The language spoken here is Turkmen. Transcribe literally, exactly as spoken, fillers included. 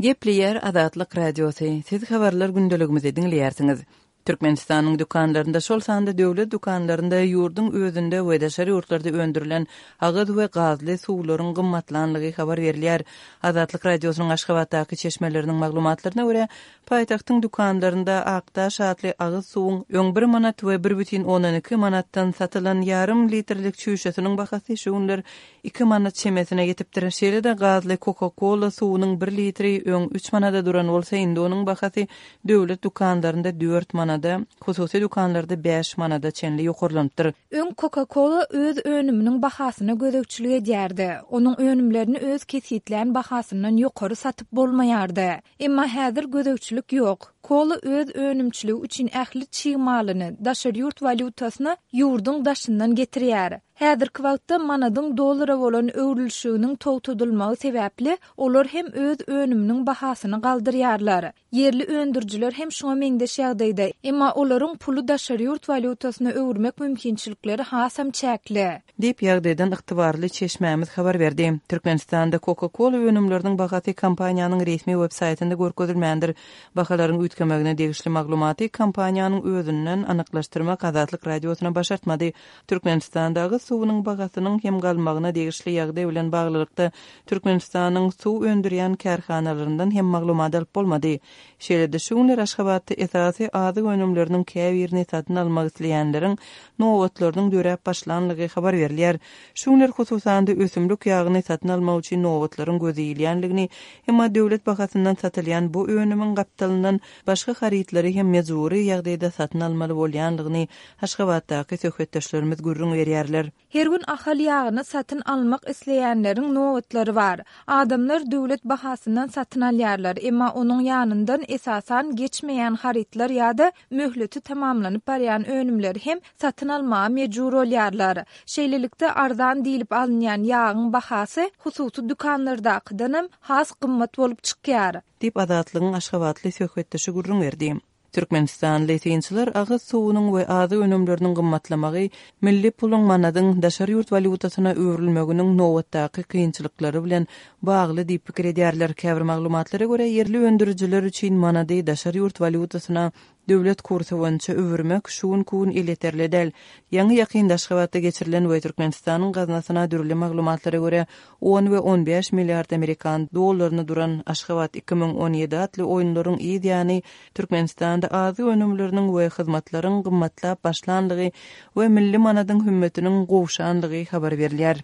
Gepleýär Azatlyk Radiosy, siz habarlar gündeligimizi diňleýärsiňiz. Türkmenistanyň dükanlarynda, şol sanda döwlet dükanlarynda ýurduň özünde we daşary ýurtlarda öndürilen agyz we gazly suwlaryň gymmatlanlygy habar berilýär. Azatlyk Radiosynyň Aşgabatdaky çeşmeleriniň maglumatlaryna görä, paýtagtyň dükanlarynda Akdaş atly agyz suwuň öň bir manat we bir bütin ondan iki manatdan satylan ýarym litrlik çüýşesiniň bahasy şu günler iki manat çemesine ýetipdir. Şeýle-de gazly Coca-Cola suwunyň bir litri öň üç manada duran bolsa, indi onuň bahasy döwlet dükanlarynda dört manada, hususy dükanlarda bäş manada çenli ýokarlanypdyr. Öň Coca-Cola öz önüminiň bahasyna gözegçilik edýärdi. Onuň önümlerini öz kesgitlän bahasyndan ýokary satyp bolmaýardy. Emma häzir gözegçilik ýok. Kola öz önümçiligi üçin ähli çig malyny, daşary ýurt walýutasyny ýurduň daşyndan getirýär. Häzirki wagtda manadyň dollara bolan öwrülişiginiň togtadylmagy sebäpli olar hem öz önüminiň bahasyny galdyrýarlar. Ýerli öndürijiler hem şuňa meňzeş ýagdaýda, emma olaryň puly daşary ýurt walýutasyna öwürmek mümkinçilikleri hasam çäkli. Diýip, ýagdaýdan ygtybarly çeşmämiz habar berdi. Türkmenistanda Coca-Cola önümleriniň bahasy kompaniýanyň resmi web saýtynda görkezilmändir. Bahalaryň üýtgemegine degişli maglumaty kompaniýanyň özünden anyklaşdyrmak Azatlyk Radiosyna başartmady. Türkmenistanda agyz suwunyň bahasynyň hem galmagyna degişli ýagdaý bilen baglylykda Türkmenistanyň suw öndürýän kärhanalaryndan hem maglumat alyp bolmady. Şeýle-de şu günler Aşgabatda esasy azyk önümleriniň käbirini satyn almak isleýänleriň nobatlarynyň döräp başlanlygy habar berilýär. Şu günler hususan-da ösümlik ýagyny satyn almak üçin nobatlaryň göze ilýänligini, emma döwlet bahasyndan satylýan bu önümiň gapdalyndan başga harytlary hem mejbury ýagdaýda satyn almaly bolýanlygyny Aşgabatdaky söhbetdeşlerimiz gürrüň berýärler. Her gün Ahal ýagyny satyn almak isleýänleriň nobatlary bar. Adamlar döwlet bahasyndan satyn alýarlar, emma onuň ýanyndan esasan geçmeýän harytlar ýa-da möhleti tamamlanyp barýan önümleri hem satyn almaga mejbur bolýarlar. Şeýlelikde, arzan diýlip alynýan ýagyň bahasy hususy dükanlardakydanam has gymmat bolup çykýar. Diýip, Azatlygyň aşgabatly söhbetdeşi gürrüň berdi. Türkmenistanly synçylar agyz suwunyň we azyk önümleriniň gymmatlamagy milli puluň manadyň daşary ýurt walýutasyna öwrülmeginiň nobatdaky kynçylyklary bilen bagly diýip pikir edýärler. Käbir maglumatlara görä, ýerli öndürijiler üçin manady daşary ýurt walýutasyna döwlet kursy boýunça öwürmek şu günki gün elýeterli däl. Ýaňy-ýakynda Aşgabatda geçirilen we Türkmenistanyň gaznasyna dürli maglumatlara görä on we on bäş milliard amerikan dollaryna duran Aşgabat iki müň on ýedi atly oýunlaryň yz ýany Türkmenistanda azyk önümleriniň we hyzmatlaryň gymmatlap başlanlygy we milli manadyň hümmetiniň gowşanlygy habar berilýär.